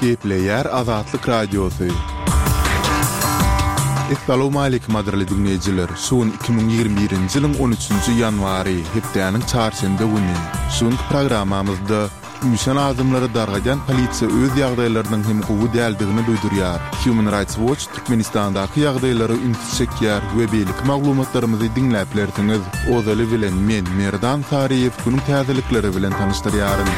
Gepleýär Azatlyk Radiosy. Essalawmaleýkim gadyrly diňleýjiler! Şu gün 2021-nji ýylyň on üçünji ýanwary, hepdäniň çarşenbe güni. Şu günki programmamyzda Üýşen adamlary dargadýan polisiýa öz ýagdaýlarynyň hem gowy däldigini duýdurýar. Human Rights Watch Türkmenistandaky ýagdaýlara ünsi çekýär we beýleki maglumatlarymyzy diňläp bilersiňiz. Ozaly bilen men, Merdan Saryýew günüň täzelikleri bilen tanyşdyrýaryn.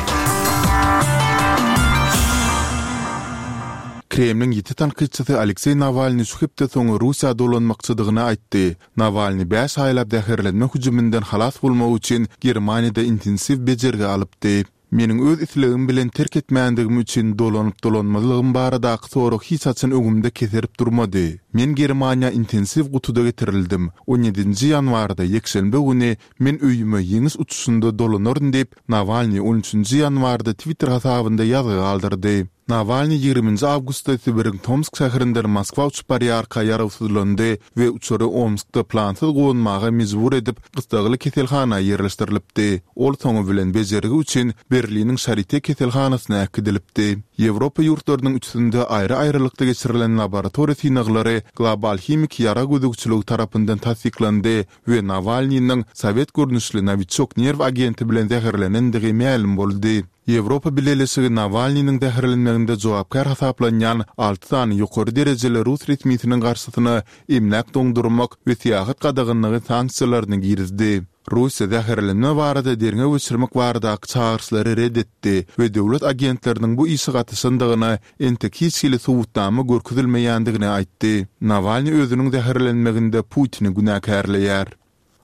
Kremliň ýiti tankytçysy Alekseý Nawalnyý şu hepde soňy Russiýa dolanmakçydygyny aýtdy. Nawalnyý bäş aýlap zäherlenme hüjüminden halas bolmak üçin Germaniýada intensiw bejergi alypdy. Meniň öz islegim bilen terk etmändigim üçin dolanyp-dolanmazlygym baradaky sorag hiç haçan öňümde keserip durmady. Men Germaniýa intensiw gutuda getirildim. On ýedinji ýanwarda, ýekşenbe güni men öýüme ýeňiş uçuşynda dolanaryn diýip, Nawalnyý on üçünji ýanwarda Twitter hasabynda ýazgy galdyrdy. Nawalnyý ýigriminji awgustda Sibiriň Tomsk şäherinden Moskwa uçup barýarka ýarawsyzlandy we uçary Omskda plansyz gonmaga mejbur edip, gyssagly keselhana ýerleşdirilipdi. Ol soňy bilen bejergi üçin Berliniň Şarite keselhanasyna äkidilipdi. Ýewropa ýurtlarynyň üçüsinde aýry-aýrylykda geçirilen laboratoriýa synaglary Global himiki ýarag gözegçiligi tarapyndan tassyklandy we Nawalnynyň sowet görnüşli Nowiçok nerw agenti bilen zäherlenendigi mälim boldy. Ýewropa Bileleşigi Nawalnynyň zäherlenmeginde jogapkär hasaplanýan alty sany ýokary derejeli rus resmisiniň garşysyna emläk doňdurmak we syýahat gadaganlygy sanksiýalaryny girizdi. Russiýa zäherlenme barada derňew geçirmek baradaky çagyryşlary ret etdi we döwlet agentleriniň bu işe gatyşandygyna entek hiç hili subutnama görkezilmeýändigini aýtdy. Nawalnyý özüniň zäherlenmeginde Putini günäkärleýär.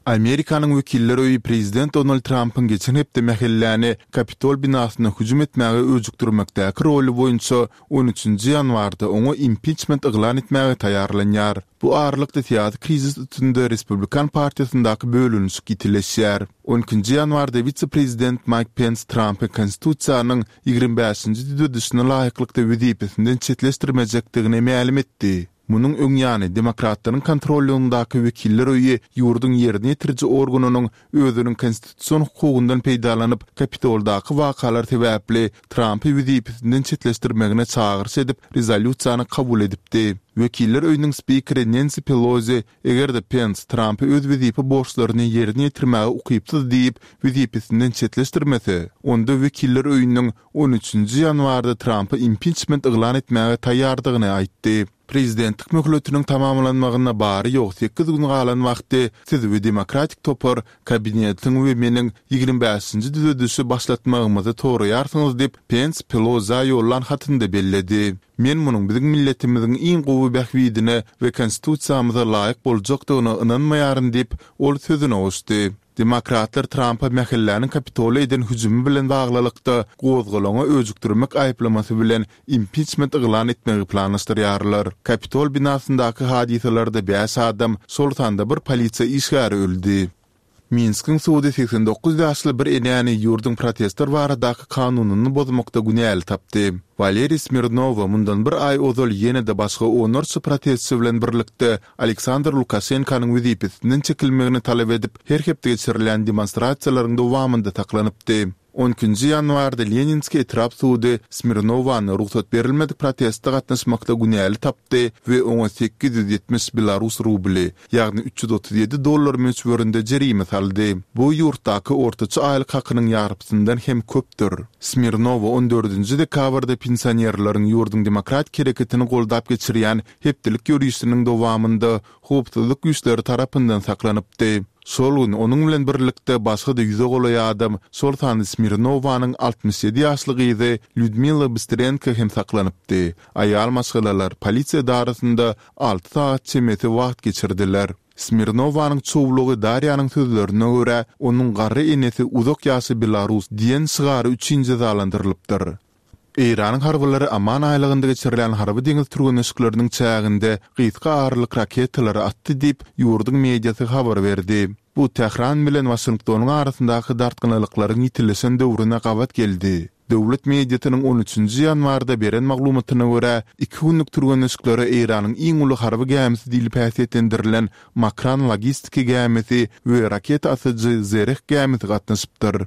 Amerikanyň Wekiller öýi prezident Donald Trampyň geçen hepde mähelläni Kapitol binasyna hüjüm etmäge öjükdirmekdäki roly boýunça on üçünji ýanwarda oňa impiçment yglan etmäge taýýarlanýar. Bu aralykda syýasy krizis üstünde Respublikan partiýasyndaky bölünişik ýitileşýär. On ikinji ýanwarda wise-prezident Maýk Pens Trampy Konstitusiýanyň 25-nji düzedişine laýyklykda wezipesinden çetleşdirmejekdigini mälim etdi. Munuň öň ýany, demokratlaryň kontrollygyndaky Wekiller öýi ýurduň ýerine ýetiriji organynyň özüniň konstitusion hukugyndan peýdalanyp, Kapitoldaky wakalar sebäpli Trampy wezipesinden çetleşdirmegine çagyryş edip, rezolýusiýany kabul edipdi. Wekiller öýüniň spikeri Nensi Pelozi, eger-de Pens Trampy öz wezipe borçlaryny ýerine ýetirmäge ukypsyz diýip, wezipesinden çetleşdirmese, onda Wekiller öýüniň on üçünji ýanwarda Trampa impiçment yglan etmäge taýýardygyny aýtdy. Prezidentlik möhletiniň tamamlanmagyna bary-ýogy sekiz gün galan wagty siz we Demokratik topar kabinetiň we meniň 25-nji düzedişi başlatmagymyzy soraýarsyňyz diýip, Pens Pelozä ýollan hatynda belledi. Men munuň biziň milletimiziň iň gowy bähbidine we Konstitusiýamyza laýyk boljakdygyna ynanmaýaryn diýip, ol sözüne goşdy. Demokratlar Trampa mähelläniň Kapitola eden hüjümi bilen baglylykda gozgalaňa öjükdirmek aýyplamasy bilen impiçment yglan etmegi planlaşdyrýarlar. Kapitol binasyndaky hadysalarda bäş adam, şol sanda bir polisiýa işgäri öldi. Minskiň sudy 89 ýaşly bir enäni ýurduň protestler baradaky kanunyny bozmakda günäli tapdy. Waleriý Smirnowa mundan bir aý ozal ýene-de başga onlarça protestçi bilen birlikde Aleksandr Lukaşenkanyň wezipesinden çekilmegini talap edip, her hepde geçirilýän demonstrasiýalaryň dowamynda saklanypdy. On ikinji ýanwarda Leninskiý etrap sudy Smirnowany rugsat berilmedik proteste gatnaşmakda günäli tapdy we oňa 870 belarus rubly, ýagny 337 dollar möçberinde jerime saldy. Bu ýurtdaky ortaça aýlyk hakynyň ýarpysyndan hem köpdür. Smirnowa on dördünji dekabrda pensionerleriň ýurduň demokratik hereketini goldap geçirýän hepdelik ýörişiniň dowamynda howpsuzlyk güýçleri tarapyndan saklanypdy. Şol gün onuň bilen birlikde başga-da ýüze golaý adam, şol sanda Smirnowanyň 67 ýaşly gyzy Lýudmila Bystrenko hem saklanypdy. Aýal maşgalalar polisiýa edarasynda alty sagat çemesi wagt geçirdiler. Smirnowanyň çowlugy Darýanyň sözlerine görä, onuň garry enesi Uzak ýaşa Belarus diýen şygary üçin jezalandyrylypdyr. Eýranyň harbylary Oman aýlagynda geçirilýän harby-deňiz türgenleşikleriniň çäginde gysga aralyk raketalary atdy diýip, ýurduň mediasy habar berdi. Bu Tähran bilen Waşingtonyň arasyndaky dartgynlylyklaryň ýitileşen döwrüne gabat geldi. Döwlet mediasynyň on üçünji ýanwarda beren maglumatyna görä, iki günlük türgenleşiklere Eýranyň iň uly harby gämisi diýlip häsiýetlendirilen Makran logistiki gämisi we raketa atyjy Zereh gämisi gatnaşypdyr.